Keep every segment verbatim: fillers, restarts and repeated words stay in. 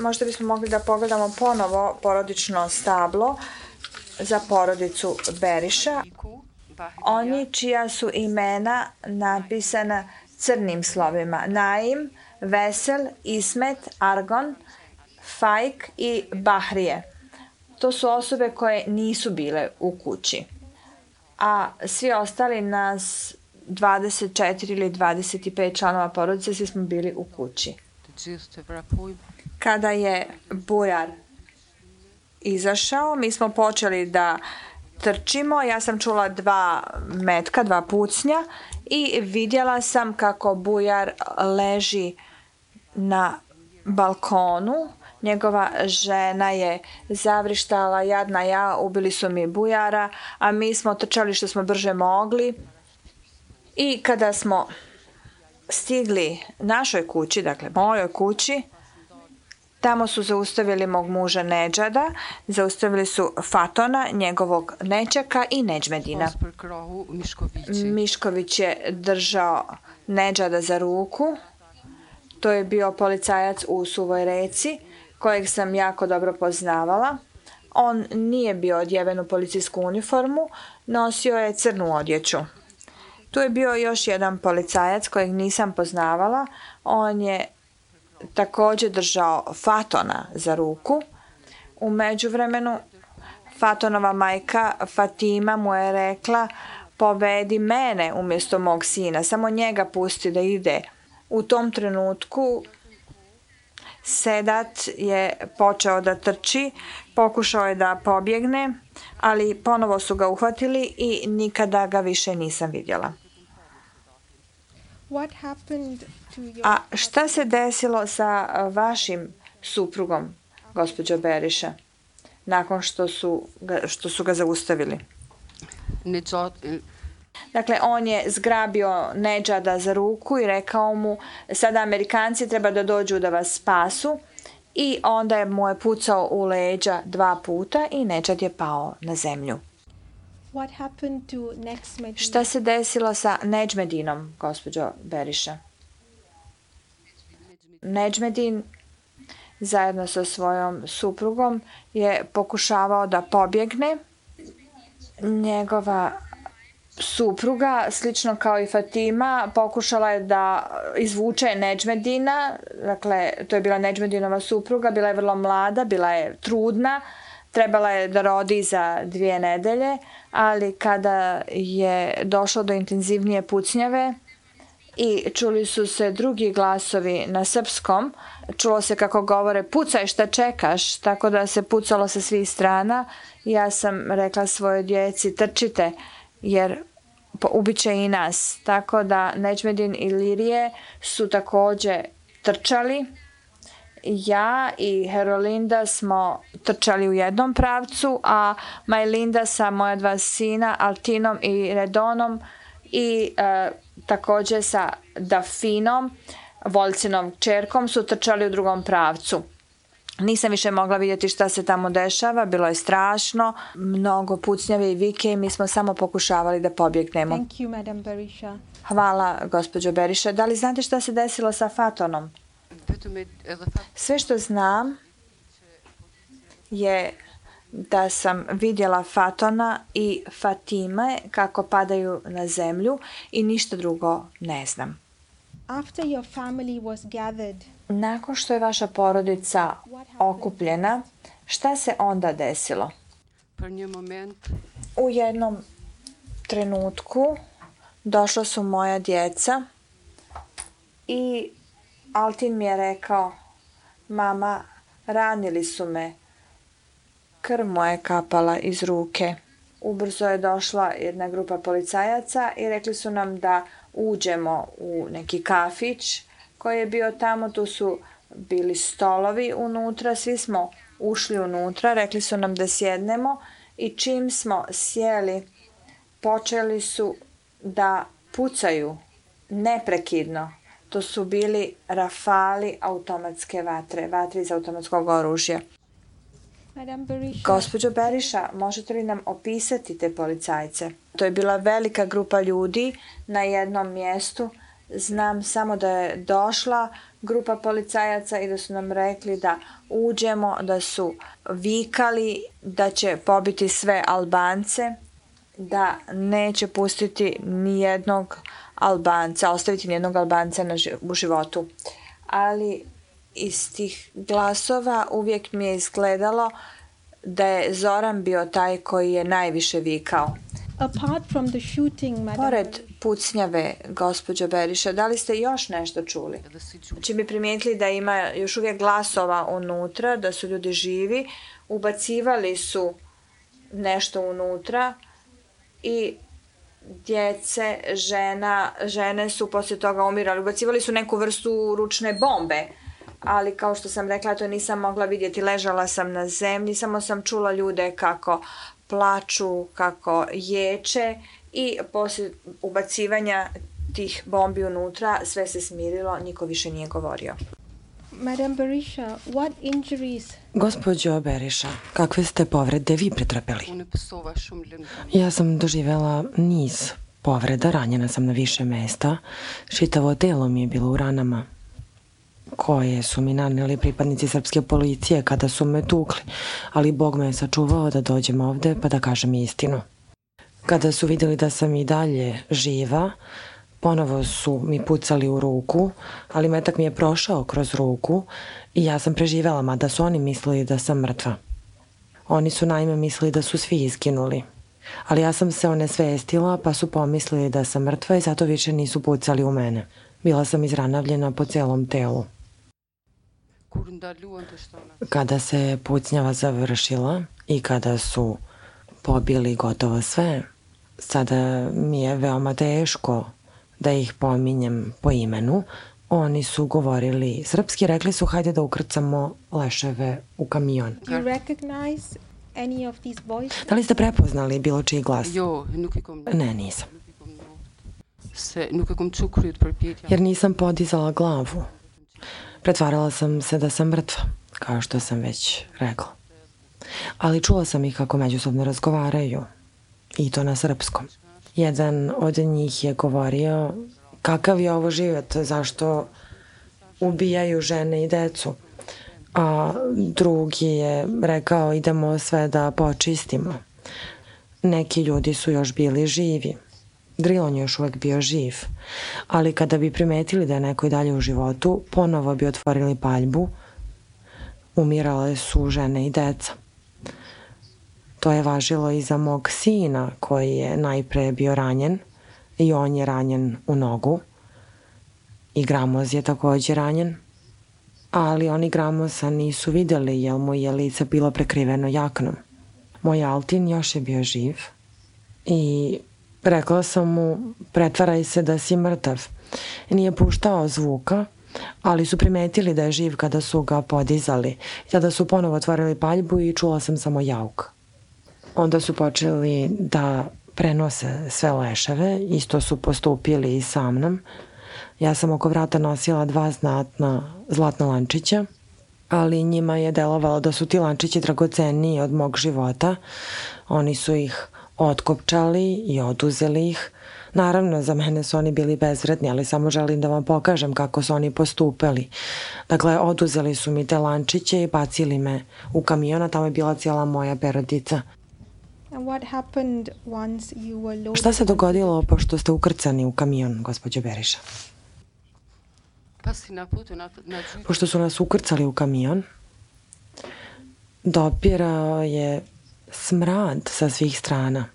Možda bismo mogli da pogledamo ponovo porodično stablo za porodicu Beriša. Oni čija su imena napisana crnim slovima. Naim, Vesel, Ismet, Argon, Fajk i Bahrije. To su osobe koje nisu bile u kući. A svi ostali nas dvadeset četiri ili dvadeset pet članova porodice, svi smo bili u kući. Kada je bujar izašao, mi smo počeli da trčimo. Ja sam čula dva metka, dva pucnja i vidjela sam kako bujar leži na balkonu. Njegova žena je zavrištala, jadna ja, ubili su mi bujara, a mi smo trčali što smo brže mogli. I kada smo stigli našoj kući, dakle mojoj kući, tamo su zaustavili mog muža Nedžada, zaustavili su Fatona, njegovog nećaka i Nedžmedina. Mišković je držao Nedžada za ruku. To je bio policajac u Suvoj Reci, kojeg sam jako dobro poznavala. On nije bio odjeven u policijsku uniformu, nosio je crnu odjeću. Tu je bio još jedan policajac kojeg nisam poznavala. On je također držao Fatona za ruku. U međuvremenu Fatonova majka Fatima mu je rekla: povedi mene umjesto mog sina, samo njega pusti da ide. U tom trenutku Sedat je počeo da trči, pokušao je da pobjegne, ali ponovo su ga uhvatili i nikada ga više nisam vidjela. A šta se desilo sa vašim suprugom, gospođo Beriša, nakon što su ga, što su ga zaustavili? Dakle, on je zgrabio Nedžada za ruku i rekao mu: sada Amerikanci treba da dođu da vas spasu, i onda je mu je pucao u leđa dva puta i Nedžad je pao na zemlju. Šta se desilo sa Nedžmedinom, gospođo Beriša? Nedžmedin zajedno sa svojom suprugom je pokušavao da pobjegne. Njegova supruga, slično kao i Fatima, pokušala je da izvuče Nedžmedina. Dakle, to je bila Nedžmedinova supruga, bila je vrlo mlada, bila je trudna, trebala je da rodi za dvije nedelje, ali kada je došlo do intenzivnije pucnjave i čuli su se drugi glasovi na srpskom, čulo se kako govore: pucaj, šta čekaš, tako da se pucalo sa svih strana. Ja sam rekla svojoj djeci: trčite, jer ubiće i nas. Tako da Nedžmedin i Lirije su također trčali. Ja i Herolinda smo trčali u jednom pravcu, a Majlinda sa moja dva sina, Altinom i Redonom, i e, također sa Dafinom, Voljcinom čerkom, su trčali u drugom pravcu. Nisam više mogla vidjeti šta se tamo dešava, bilo je strašno, mnogo pucnjave i vike i mi smo samo pokušavali da pobjegnemo. Thank you, Madam Berisha. Hvala, gospođo Beriša. Da li znate šta se desilo sa Fatonom? Sve što znam je da sam vidjela Fatona i Fatime kako padaju na zemlju i ništa drugo ne znam. After your family was gathered, nakon što je vaša porodica okupljena, šta se onda desilo? U jednom trenutku došla su moja djeca i Altin mi je rekao: mama, ranili su me. Krv mu je kapala iz ruke. Ubrzo je došla jedna grupa policajaca i rekli su nam da uđemo u neki kafić koji je bio tamo. Tu su bili stolovi unutra, svi smo ušli unutra, rekli su nam da sjednemo i čim smo sjeli, počeli su da pucaju neprekidno. To su bili rafali automatske vatre, vatre iz automatskog oružja. Madam Berisha, Gospođo Beriša, možete li nam opisati te policajce? To je bila velika grupa ljudi na jednom mjestu. Znam samo da je došla grupa policajaca i da su nam rekli da uđemo, da su vikali da će pobiti sve Albance, da neće pustiti ni jednog Albanca, ostaviti ni jednog Albanca na ži- u životu. Ali iz tih glasova uvijek mi je izgledalo da je Zoran bio taj koji je najviše vikao. apart from the shooting, Madam Pored Berisha, pucnjave, gospođo Beriša, da li ste još nešto čuli? Či bi primijetili da ima još uvijek glasova unutra, da su ljudi živi, ubacivali su nešto unutra i djece, žena, žene su poslije toga umirali. Ubacivali su neku vrstu ručne bombe, ali kao što sam rekla, to nisam mogla vidjeti. Ležala sam na zemlji, samo sam čula ljude kako plaču, kako ječe i poslije ubacivanja tih bombi unutra sve se smirilo, niko više nije govorio. Madam Berisha, what injuries Gospođo Beriša, kakve ste povrede vi pretrpeli? Ja sam doživjela niz povreda, ranjena sam na više mesta. Čitavo telo mi je bilo u ranama koje su mi nanijeli pripadnici srpske policije kada su me tukli, ali Bog me je sačuvao da dođem ovde pa da kažem istinu. Kada su vidjeli da sam i dalje živa, ponovo su mi pucali u ruku, ali metak mi je prošao kroz ruku i ja sam preživjela, mada su oni mislili da sam mrtva. Oni su naime mislili da su svi izginuli. Ali ja sam se onesvestila pa su pomislili da sam mrtva i zato više nisu pucali u mene. Bila sam izranavljena po celom telu. Kada se pucnjava završila i kada su pobili gotovo sve, sada mi je veoma teško da ih pominjem po imenu. Oni su govorili srpski, rekli su hajde da ukrcamo leševe u kamion. do you recognize any of these boys? Da li ste prepoznali bilo čiji glas? Ne, nisam. Jer nisam podizala glavu. Pretvarala sam se da sam mrtva, kao što sam već rekla. Ali čula sam ih kako međusobno razgovaraju, i to na srpskom. Jedan od njih je govorio kakav je ovo život, zašto ubijaju žene i decu. A drugi je rekao idemo sve da počistimo. Neki ljudi su još bili živi. Drilon je još uvek bio živ, ali kada bi primetili da je neko i dalje u životu, ponovo bi otvorili paljbu. Umirale su žene i deca. To je važilo i za mog sina koji je najpre bio ranjen i on je ranjen u nogu i Gramoz je također ranjen, ali oni Gramoza nisu vidjeli jer mu je lice bilo prekriveno jaknom. Moj Altin još je bio živ i rekla sam mu pretvaraj se da si mrtav. Nije puštao zvuka, ali su primetili da je živ kada su ga podizali. Tada su ponovo otvorili paljbu i čula sam samo jauk. Onda su počeli da prenose sve leševe, isto su postupili i sa mnom. Ja sam oko vrata nosila dva znatna zlatna lančića, ali njima je delovalo da su ti lančići dragoceniji od mog života. Oni su ih otkopčali i oduzeli ih. Naravno, za mene su oni bili bezvredni, ali samo želim da vam pokažem kako su oni postupali. Dakle, oduzeli su mi te lančiće i bacili me u kamion, a tamo je bila cijela moja perodica. And what happened once you were loaded? Šta se dogodilo pošto ste ukrcani u kamion, gospođo Beriša? Pošto su nas ukrcali u kamion, dopirao je smrad sa svih strana.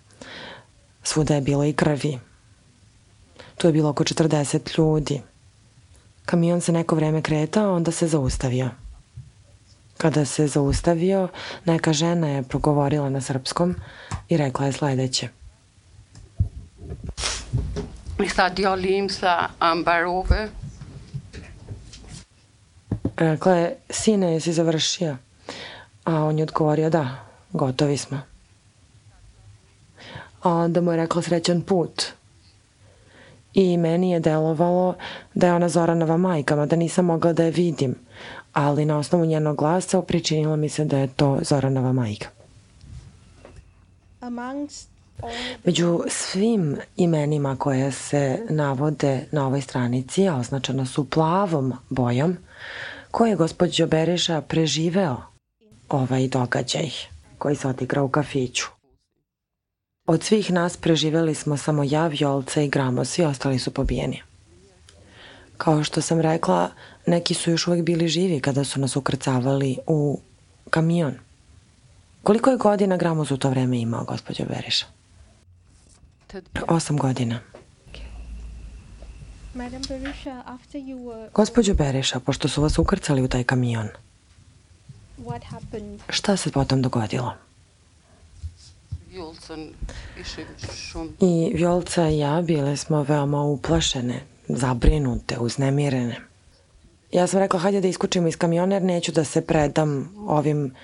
Svuda je bilo i krvi. Tu je bilo oko četrdeset ljudi. Kamion se neko vreme kretao, onda se zaustavio. Kada se zaustavio, neka žena je progovorila na srpskom i rekla je sledeće. Rekla je, sine, jesi završio? A on je odgovorio, da, gotovi smo. a onda mu je rekla srećan put. I meni je delovalo da je ona Zoranova majka, mada nisam mogla da je vidim, ali na osnovu njenog glasa pričinilo mi se da je to Zoranova majka. Među svim imenima koje se navode na ovoj stranici, a označena su plavom bojom, ko je gospođo Beriša preživeo ovaj događaj koji se odigrao u kafiću? Od svih nas preživeli smo samo ja, Vjolca i Gramo, svi ostali su pobijeni. Kao što sam rekla, neki su još uvijek bili živi kada su nas ukrcavali u kamion. Koliko je godina Gramos u to vreme imao, gospođo Beriša? Osam godina. Gospođo Beriša, pošto su vas ukrcali u taj kamion, šta se potom dogodilo? I Vjolca i ja bile smo veoma uplašene, zabrinute, uznemirene. Ja sam rekla, hajde da iskočimo iz kamiona jer neću da se predam ovim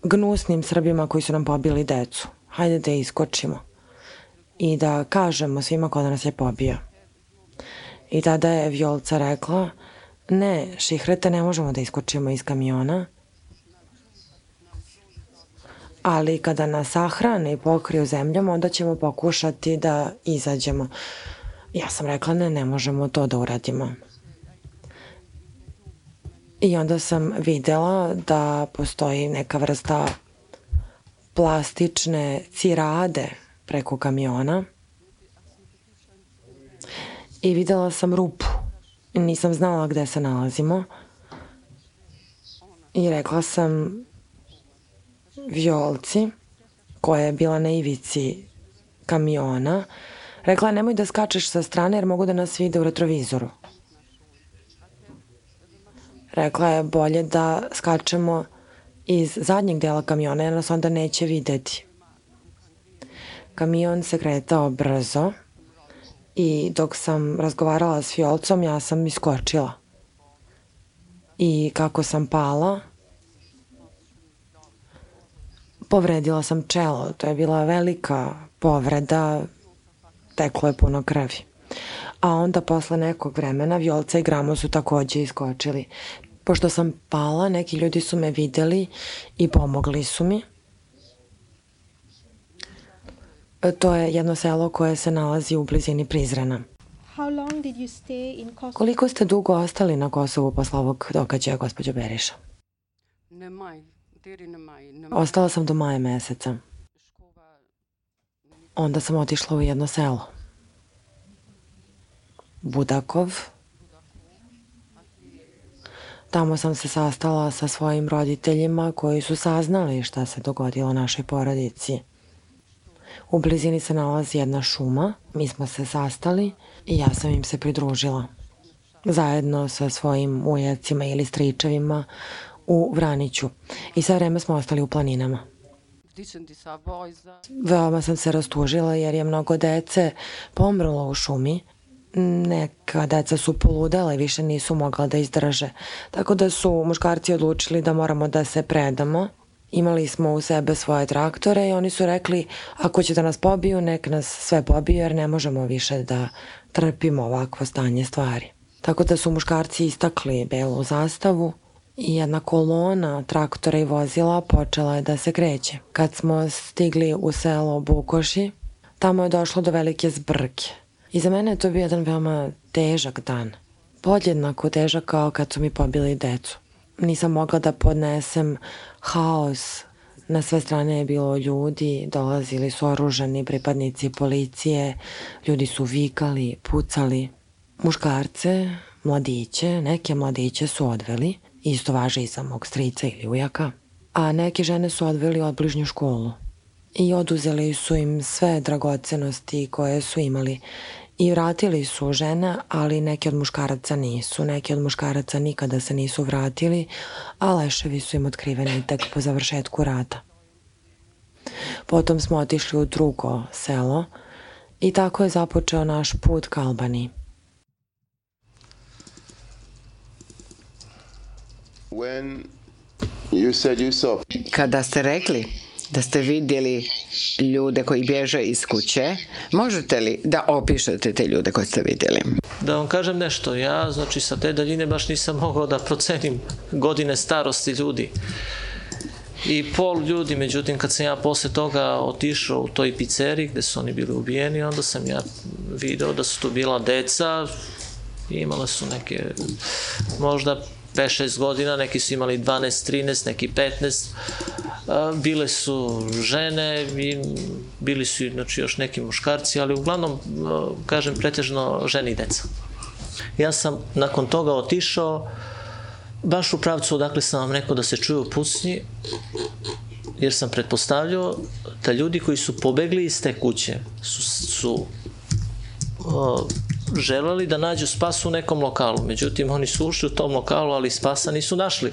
gnusnim Srbima koji su nam pobili decu. Hajde da iskočimo i da kažemo svima ko da nas je pobio. I tada je Vjolca rekla, ne, Šihrete, ne možemo da iskočimo iz kamiona, ali kada nas sahrane i pokriju zemljom, onda ćemo pokušati da izađemo. Ja sam rekla, ne, ne možemo to da uradimo. I onda sam videla da postoji neka vrsta plastične cirade preko kamiona i videla sam rupu. Nisam znala gde se nalazimo i rekla sam Vjolci, koja je bila na ivici kamiona, rekla je, nemoj da skačeš sa strane jer mogu da nas vide u retrovizoru. Rekla je, bolje da skačemo iz zadnjeg dela kamiona jer nas onda neće videti. Kamion se kretao brzo i dok sam razgovarala s Vjolcom, ja sam iskočila. I kako sam pala, povredila sam čelo. To je bila velika povreda, teklo je puno krvi. A onda posle nekog vremena Vjolca i Gramo su takođe iskočili. Pošto sam pala, neki ljudi su me videli i pomogli su mi. To je jedno selo koje se nalazi u blizini Prizrena. Koliko ste dugo ostali na Kosovu posle ovog događaja, gospođo Beriša? Ostala sam do maja meseca. Onda sam otišla u jedno selo. Budakov. Tamo sam se sastala sa svojim roditeljima koji su saznali šta se dogodilo našoj porodici. U blizini se nalazi jedna šuma, mi smo se sastali i ja sam im se pridružila. Zajedno sa svojim ujacima ili stričevima u Vraniću. I sve vreme smo ostali u planinama. Veoma sam se rastužila jer je mnogo dece pomrlo u šumi. Neka deca su poludela i više nisu mogla da izdrže. Tako da su muškarci odlučili da moramo da se predamo. Imali smo u sebe svoje traktore i oni su rekli, ako će da nas pobiju, nek nas sve pobiju jer ne možemo više da trpimo ovakvo stanje stvari. Tako da su muškarci istakli belu zastavu i jedna kolona traktora i vozila počela je da se kreće. Kad smo stigli u selo Bukoši, tamo je došlo do velike zbrke. I za mene je to bio jedan veoma težak dan. Podjednako težak kao kad su mi pobili decu. Nisam mogla da podnesem haos. Na sve strane je bilo ljudi, dolazili su oružani pripadnici policije, ljudi su vikali, pucali. Muškarce, mladiće, neke mladiće su odveli, isto važi i za mog strica ili ujaka, a neke žene su odveli u obližnju školu i oduzeli su im sve dragocenosti koje su imali. I vratili su žene, ali neki od muškaraca nisu. Neki od muškaraca nikada se nisu vratili, a leševi su im otkriveni tek po završetku rata. Potom smo otišli u drugo selo i tako je započeo naš put ka Albaniji. Kada ste rekli da ste vidjeli ljude koji bježe iz kuće. Možete li da opišete te ljude koje ste vidjeli? Da vam kažem nešto, ja znači sa te daljine baš nisam mogao da procenim godine starosti ljudi i pol ljudi, međutim kad sam ja posle toga otišao u toj pizzeriji gde su oni bili ubijeni, onda sam ja video da su tu bila deca, imala su neke možda pet šest godina, neki su imali dvanaest trinaest, neki petnaest, bile su žene i bili su znači, još neki muškarci, ali uglavnom, kažem, pretežno žene i deca. Ja sam nakon toga otišao baš u pravcu odakle sam vam rekao da se čuju pucnji, jer sam pretpostavljao da ljudi koji su pobegli iz te kuće su, su o, želeli da nađu spas u nekom lokalu. Međutim, oni su ušli u tom lokalu, ali spasa nisu našli.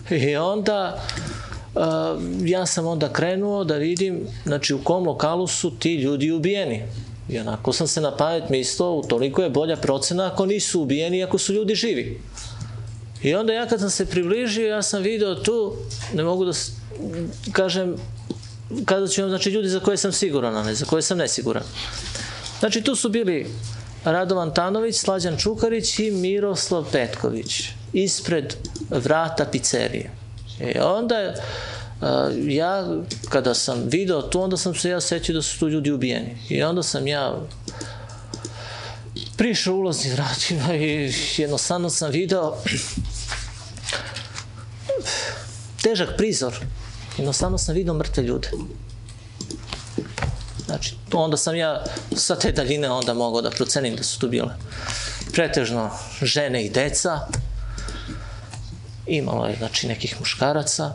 I onda uh, ja sam onda krenuo da vidim, znači u kom lokalu su ti ljudi ubijeni. I onako sam se na pamet mislio, utoliko je bolja procena ako nisu ubijeni, ako su ljudi živi. I onda ja kad sam se približio, ja sam video tu, ne mogu da kažem, kada ću vam, znači ljudi za koje sam siguran, a ne za koje sam nesiguran. Znači tu su bili Radovan Tanović, Slađan Čukarić i Miroslav Petković ispred vrata pizzerije. I onda ja, kada sam video tu, onda sam se ja sećao da su tu ljudi ubijeni. I onda sam ja prišao ulaznim vratima i jednostavno sam video težak prizor. Jednostavno sam video mrtve ljude. Znači, onda sam ja sa te daljine onda mogao da procenim da su tu bile pretežno žene i deca. Imalo je, znači, nekih muškaraca.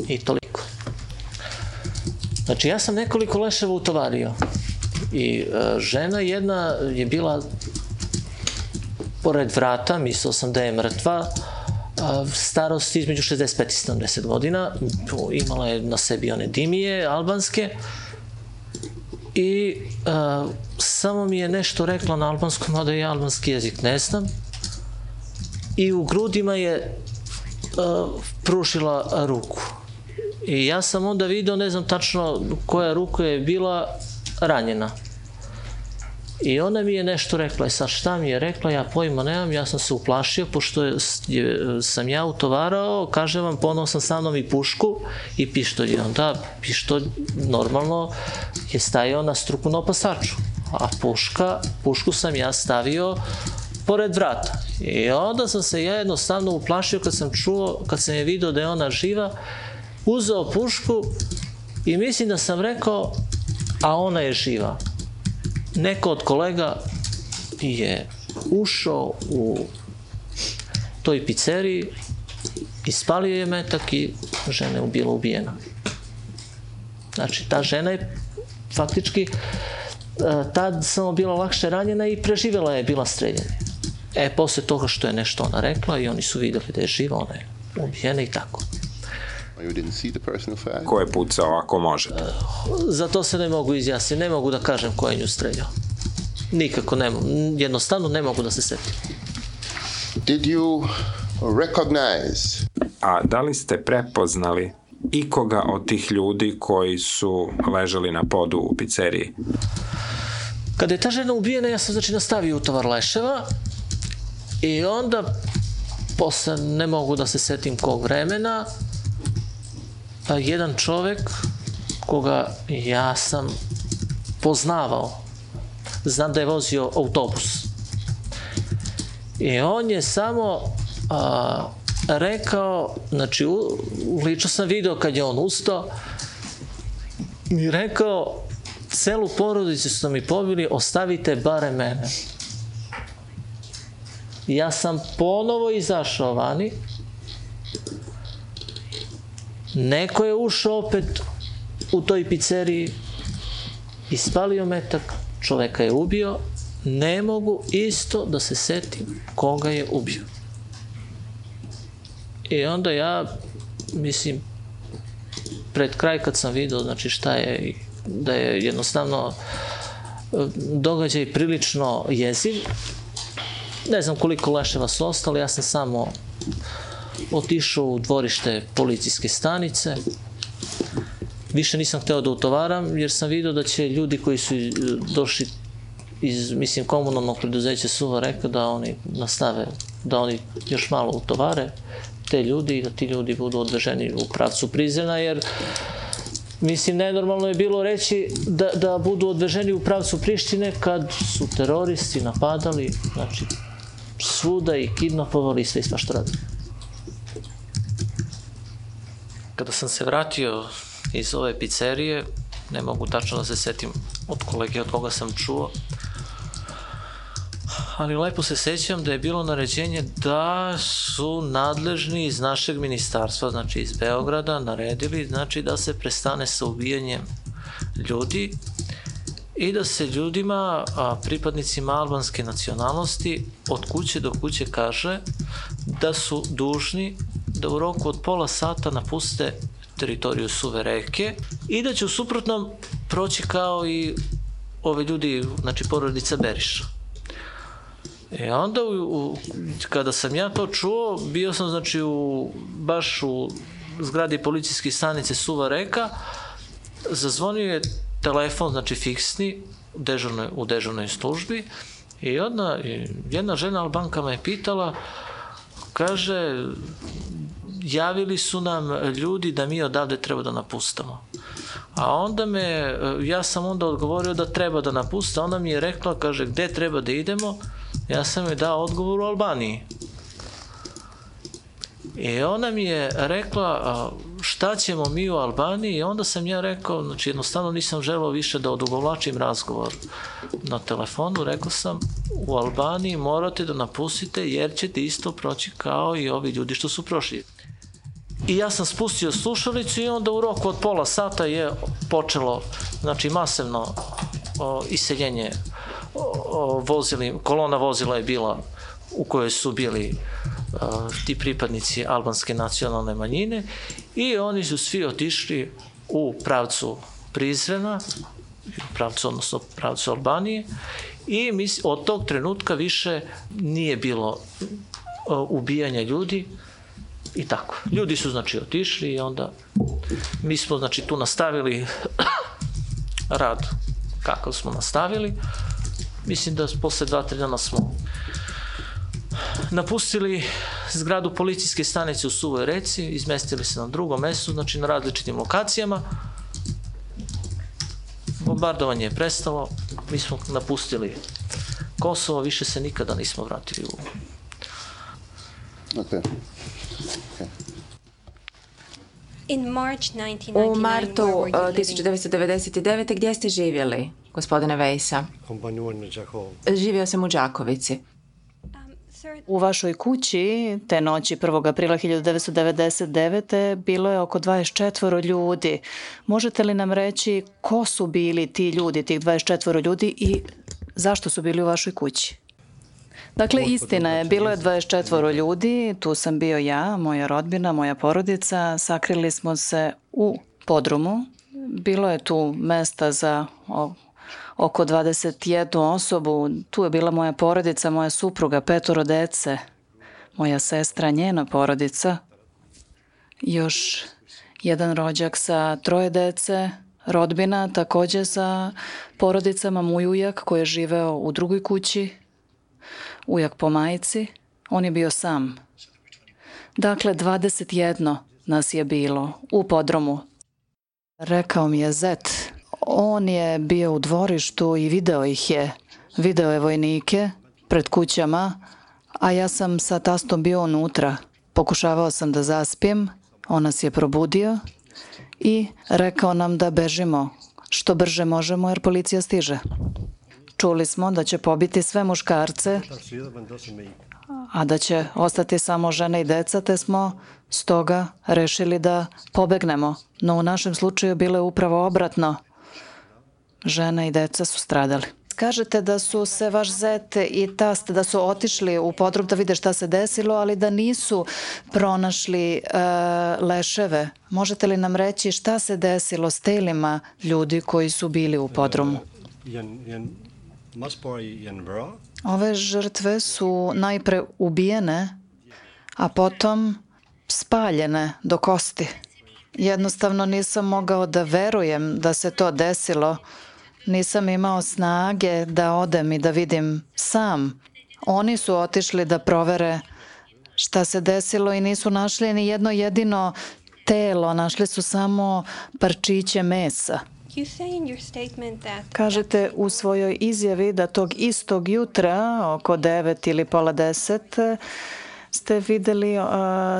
I toliko. Znači, ja sam nekoliko leševa utovario. I e, žena jedna je bila pored vrata, mislio sam da je mrtva, starosti između šezdeset pet i sedamdeset godina, imala je na sebi one dimije albanske i uh, samo mi je nešto rekla na albanskom, mada ja albanski jezik ne znam, i u grudima je uh, pružila ruku. I ja sam onda video, ne znam tačno koja ruka je bila ranjena. I ona mi je nešto rekla, i sad šta mi je rekla, ja pojma nemam, ja sam se uplašio, pošto je, sam ja utovarao, kažem vam, ponovo sam sa mnom i pušku i pištolj. I onda pištolj normalno je stajao na struku na opasaču, a puška, pušku sam ja stavio pored vrata. I onda sam se ja jednostavno uplašio kad sam čuo, kad sam je video da je ona živa, uzeo pušku i mislim da sam rekao, a ona je živa. Neko od kolega je ušao u toj pizzeriji, ispalio je metak i žena je bila ubijena. Znači, ta žena je faktički tad samo bila lakše ranjena i preživjela je bila streljena. E, posle toga što je nešto ona rekla i oni su vidjeli da je živa, ona je ubijena i tako. Ko je pucao, ako možete? Za to se ne mogu izjasniti, ne mogu da kažem ko je nju streljao. Nikako ne mogu, jednostavno ne mogu da se setim. Did you recognize? A da li ste prepoznali ikoga od tih ljudi koji su ležali na podu u pizzeriji? Kada je ta žena ubijena, ja sam znači nastavio utovar leševa i onda, posle ne mogu da se setim kog vremena, jedan čovek koga ja sam poznavao, znam da je vozio autobus. I on je samo a, rekao, znači u, lično sam video kad je on ustao i rekao, celu porodicu su mi pobili, ostavite bare mene. Ja sam ponovo izašao vani, neko je ušao opet u toj pizzeriji, ispalio metak, čoveka je ubio, ne mogu isto da se setim koga je ubio. I onda ja, mislim, pred kraj kad sam vidio, znači šta je, da je jednostavno događaj prilično jeziv, ne znam koliko leševa su ostali, ja sam samo otišao u dvorište policijske stanice. Više nisam hteo da utovaram, jer sam vidio da će ljudi koji su došli iz, mislim, komunalnog preduzeća Suva Reka, da oni nastave, da oni još malo utovare te ljudi i da ti ljudi budu odveženi u pravcu Prizrena, jer mislim, nenormalno je bilo reći da, da budu odveženi u pravcu Prištine kad su teroristi napadali, znači, svuda i kidnapovali i sve i svašta radili. Kada sam se vratio iz ove pizzerije, ne mogu tačno da se setim od kolege od koga sam čuo, ali lepo se sećam da je bilo naređenje da su nadležni iz našeg ministarstva, znači iz Beograda, naredili znači da se prestane sa ubijanjem ljudi i da se ljudima, a, pripadnicima albanske nacionalnosti, od kuće do kuće kaže da su dužni da u roku od pola sata napuste teritoriju Suve Reke i da će u suprotnom proći kao i ove ljudi, znači porodica Beriša. E onda, u, u, kada sam ja to čuo, bio sam znači u, baš u zgradi policijske stanice Suva Reka, zazvonio je telefon, znači fiksni, u dežurnoj, u dežurnoj službi i onda jedna žena Albanka me je pitala, kaže, javili su nam ljudi da mi odavde treba da napustamo. A onda me, ja sam onda odgovorio da treba da napusta, onda mi je rekla, kaže, gde treba da idemo? Ja sam joj dao odgovor u Albaniji. I ona mi je rekla, šta ćemo mi u Albaniji? I onda sam ja rekao, znači jednostavno nisam želeo više da odugovlačim razgovor na telefonu, rekao sam, u Albaniji morate da napustite jer ćete isto proći kao i ovi ljudi što su prošli. I ja sam spustio slušalicu i onda u roku od pola sata je počelo, znači masivno o, iseljenje o, vozili, kolona vozila je bila u kojoj su bili o, ti pripadnici albanske nacionalne manjine i oni su svi otišli u pravcu Prizrena, pravcu, odnosno pravcu Albanije i mis, od tog trenutka više nije bilo o, ubijanja ljudi. I tako. Ljudi su, znači, otišli i onda mi smo, znači, tu nastavili rad kako smo nastavili. Mislim da posle dva, tri dana smo napustili zgradu policijske stanice u Suvoj Reci, izmestili se na drugom mestu, znači na različitim lokacijama. Bombardovanje je prestalo, mi smo napustili Kosovo, više se nikada nismo vratili u... Okay. U martu tisuću devetsto devedeset devete. gdje ste živjeli, gospodine Vejsa? Živio sam u Đakovici. U vašoj kući te noći prvog aprila hiljadu devetsto devedeset devete. bilo je oko dvadeset četvoro ljudi. Možete li nam reći ko su bili ti ljudi, tih dvadeset četvoro ljudi i zašto su bili u vašoj kući? Dakle, istina je, bilo je dvadeset četvoro ljudi, tu sam bio ja, moja rodbina, moja porodica, sakrili smo se u podrumu, bilo je tu mesta za o, oko dvadeset jednu osobu, tu je bila moja porodica, moja supruga, petoro dece, moja sestra, njena porodica, još jedan rođak sa troje dece, rodbina takođe sa porodicama, moj ujak koji je živeo u drugoj kući, ujak po majici, on je bio sam. Dakle, dvadeset jedno nas je bilo u podrumu. Rekao mi je zet, on je bio u dvorištu i video ih je. Video je vojnike pred kućama, a ja sam sa tastom bio unutra. Pokušavao sam da zaspijem, on nas je probudio i rekao nam da bežimo što brže možemo jer policija stiže. Čuli smo da će pobiti sve muškarce, a da će ostati samo žene i deca, te smo stoga rešili da pobegnemo. No u našem slučaju bilo je upravo obratno. Žene i deca su stradali. Kažete da su se vaš zet i tast, da su otišli u podrum da vide šta se desilo, ali da nisu pronašli e, leševe. Možete li nam reći šta se desilo s telima ljudi koji su bili u podrumu? Ove žrtve su najpre ubijene, a potom spaljene do kosti. Jednostavno nisam mogao da verujem da se to desilo. Nisam imao snage da odem i da vidim sam. Oni su otišli da provere šta se desilo i nisu našli ni jedno jedino telo. Našli su samo parčiće mesa. Kažete u svojoj izjavi da tog istog jutra, oko devet ili pola deset, ste videli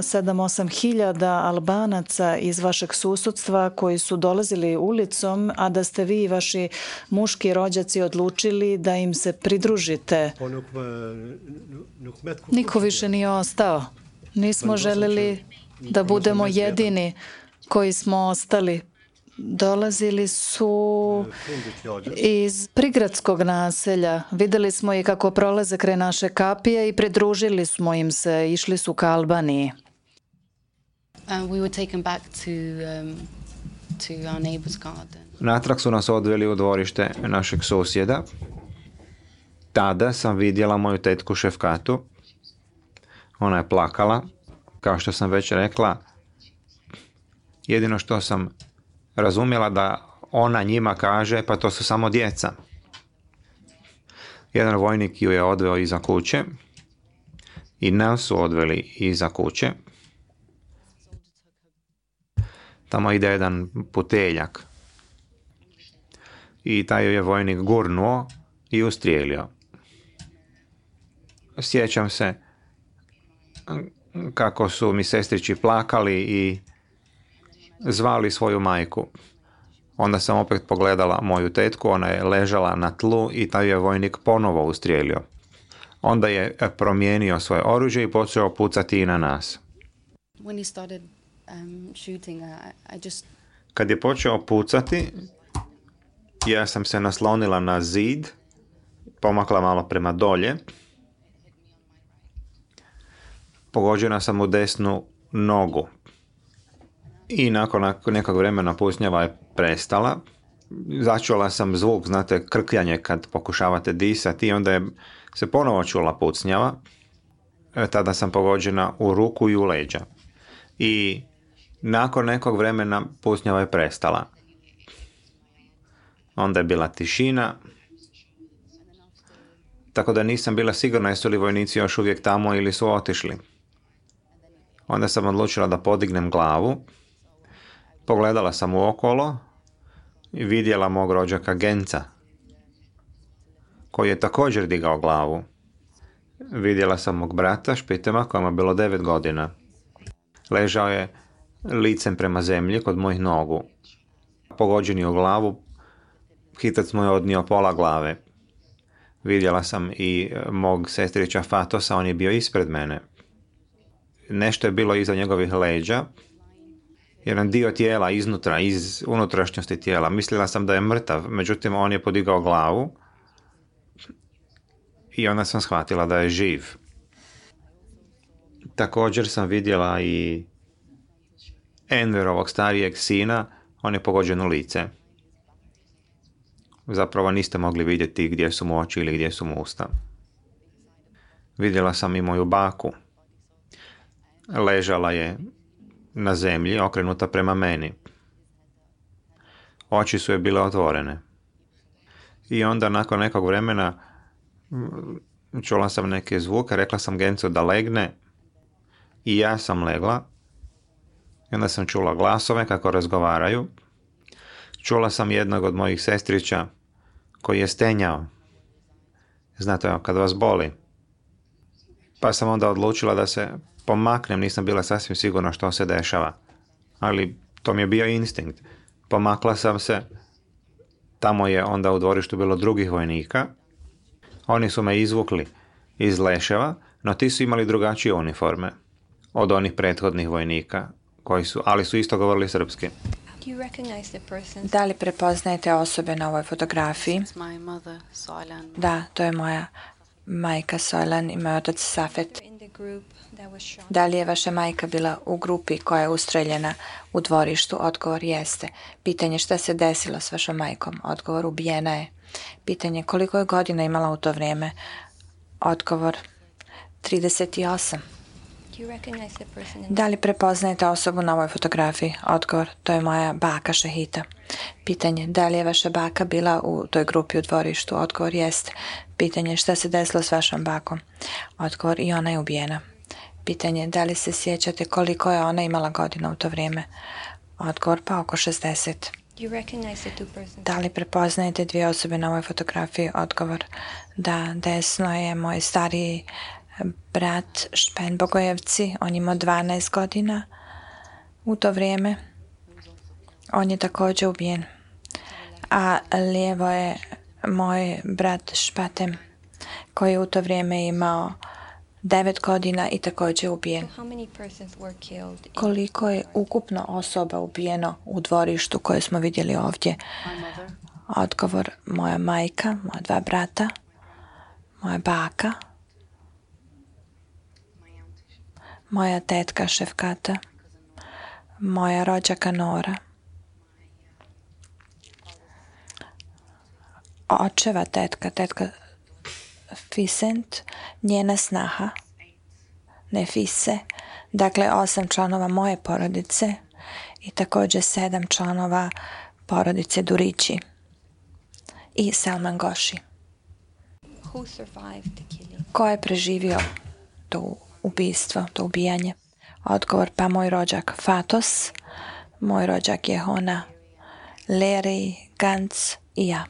sedam osam hiljada Albanaca iz vašeg susudstva koji su dolazili ulicom, a da ste vi i vaši muški rođaci odlučili da im se pridružite. Niko više nije ostao. Nismo želeli da budemo jedini koji smo ostali. Dolazili su iz prigradskog naselja. Videli smo i kako prolaze kraj naše kapije i pridružili smo im se. Išli su ka Albaniji. Natrag su nas odveli u dvorište našeg susjeda. Tada sam vidjela moju tetku Šefkatu. Ona je plakala. Kao što sam već rekla, jedino što sam razumjela da ona njima kaže, pa to su samo djeca. Jedan vojnik ju je odveo iza kuće i nas su odveli iza kuće. Tamo ide jedan puteljak i taj ju je vojnik gurnuo i ustrijelio. Sjećam se kako su mi sestrići plakali i zvali svoju majku. Onda sam opet pogledala moju tetku, ona je ležala na tlu i taj je vojnik ponovo ustrijelio. Onda je promijenio svoje oružje i počeo pucati i na nas. Kad je počeo pucati, ja sam se naslonila na zid, pomakla malo prema dolje. Pogođena sam u desnu nogu. I nakon nekog vremena pucnjava je prestala. Začula sam zvuk, znate, krkljanje kad pokušavate disati i onda je se ponovo čula pucnjava. Tada sam pogođena u ruku i u leđa. I nakon nekog vremena pucnjava je prestala. Onda je bila tišina. Tako da nisam bila sigurna jesu li vojnici još uvijek tamo ili su otišli. Onda sam odlučila da podignem glavu. Pogledala sam u okolo i vidjela mog rođaka Genca, koji je također digao glavu. Vidjela sam mog brata Špitema, kojima je bilo devet godina. Ležao je licem prema zemlji kod mojih nogu. Pogođen je u glavu, hitac mu je odnio pola glave. Vidjela sam i mog sestrića Fatosa, on je bio ispred mene. Nešto je bilo iza njegovih leđa, jedan dio tijela iznutra, iz unutrašnjosti tijela. Mislila sam da je mrtav, međutim on je podigao glavu i onda sam shvatila da je živ. Također sam vidjela i Enverovog starijeg sina, on je pogođen u lice. Zapravo niste mogli vidjeti gdje su mu oči ili gdje su mu usta. Vidjela sam i moju baku. Ležala je na zemlji, okrenuta prema meni. Oči su je bile otvorene. I onda nakon nekog vremena čula sam neke zvuke, rekla sam Gencu da legne i ja sam legla. I onda sam čula glasove kako razgovaraju. Čula sam jednog od mojih sestrića koji je stenjao. Znate, kad vas boli. Pa sam onda odlučila da se pomaknem, nisam bila sasvim sigurna što se dešava. Ali to mi je bio instinkt. Pomakla sam se. Tamo je onda u dvorištu bilo drugih vojnika. Oni su me izvukli iz leševa, no ti su imali drugačije uniforme od onih prethodnih vojnika, koji su, ali su isto govorili srpski. Da li prepoznajete osobe na ovoj fotografiji? Da, to je moja majka Sojlan i moj otac Safet. Da li je vaša majka bila u grupi koja je ustreljena u dvorištu? Odgovor jeste. Pitanje šta se desilo s vašom majkom? Odgovor ubijena je. Pitanje koliko je godina imala u to vrijeme? Odgovor trideset osam. Da li prepoznajete osobu na ovoj fotografiji? Odgovor, to je moja baka Šehita. Pitanje, da li je vaša baka bila u toj grupi u dvorištu? Odgovor, jeste. Pitanje, šta se desilo s vašom bakom? Odgovor, i ona je ubijena. Pitanje, da li se sjećate koliko je ona imala godina u to vrijeme? Odgovor, pa oko šezdeset. Da li prepoznajete dvije osobe na ovoj fotografiji? Odgovor, da, desno je moj stariji brat Špen Bogojevci, on imao dvanaest godina u to vrijeme. On je također ubijen. A lijevo je moj brat Špatem, koji je u to vrijeme imao devet godina i također ubijen. Koliko je ukupno osoba ubijeno u dvorištu koje smo vidjeli ovdje? Odgovor, moja majka, moja dva brata, moja baka, moja tetka Šefkata, moja rođaka Nora, očeva tetka, tetka Fisent, njena snaha Nefise, dakle osam članova moje porodice i također sedam članova porodice Durići i Salman Goši. Ko je preživio to ubistvo, to ubijanje? Odgovor, pa moj rođak Fatos, moj rođak Jehona, Leri, Gantz i ja.